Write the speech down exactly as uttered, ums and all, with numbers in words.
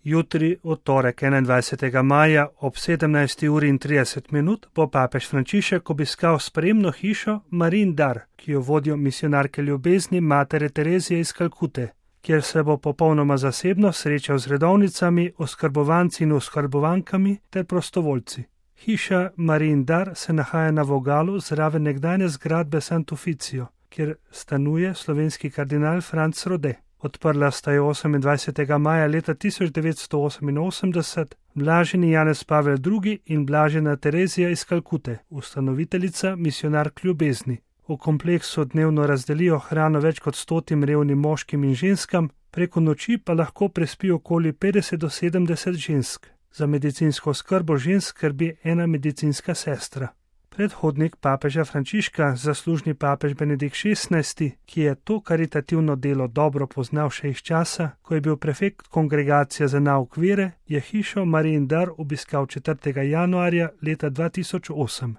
Jutri, v torek enaindvajsetega maja ob sedemnajsti uri in trideset minut bo papež Frančišek obiskal sprejemno hišo Marijin dar, ki jo vodijo misijonarke ljubezni Matere Terezije iz Kalkute, kjer se bo popolnoma zasebno srečal z redovnicami, oskrbovanci in oskrbovankami ter prostovoljci. Hiša Marijin dar se nahaja na vogalu zraven nekdanje zgradbe Sant'Uficio, kjer stanuje slovenski kardinal Franc Rode. Odprla sta jo osemindvajsetega maja leta tisoč devetsto oseminosemdeset blaženi Janez Pavel drugi in blažena Terezija iz Kalkute, ustanoviteljica misijonark ljubezni. V kompleksu dnevno razdelijo hrano več kot stotim revnim moškim in ženskam, preko noči pa lahko prespi okoli petdeset do sedemdeset žensk. Za medicinsko oskrbo žensk skrbi ena medicinska sestra. Predhodnik papeža Frančiška, zaslužni papež Benedikt šestnajsti, ki je to karitativno delo dobro poznal še iz časa, ko je bil prefekt kongregacije za nauk vere, je hišo Marijin dar obiskal četrtega januarja leta dva tisoč osem.